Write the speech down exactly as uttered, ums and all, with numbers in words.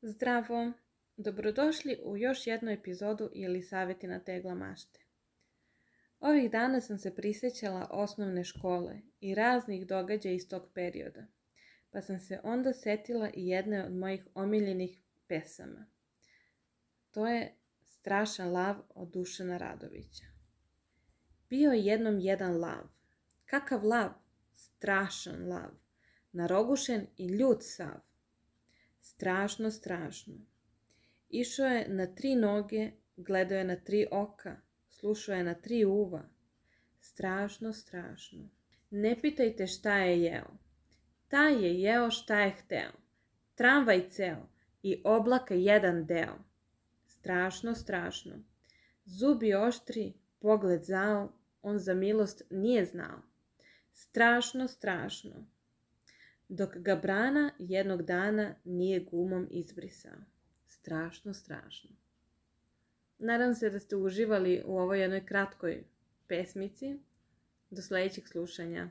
Zdravo! Dobrodošli u još jednu epizodu ili savjeti na tegla mašte. Ovih dana sam se prisjećala osnovne škole i raznih događaja iz tog perioda, pa sam se onda setila i jedne od mojih omiljenih pesama. To je Strašan lav od Dušana Radovića. Bio je jednom jedan lav. Kakav lav? Strašan lav. Narogušen i ljut sav. Strašno, strašno. Išao je na tri noge, gledao je na tri oka, slušao je na tri uva. Strašno, strašno. Ne pitajte šta je jeo. Taj je jeo šta je hteo. Tramvaj ceo i oblaka jedan deo. Strašno, strašno. Zubi oštri, pogled zao, on za milost nije znao. Strašno, strašno. Dok ga brana jednog dana nije gumom izbrisao. Strašno, strašno. Nadam se da ste uživali u ovoj jednoj kratkoj pesmici. Do sljedećeg slušanja.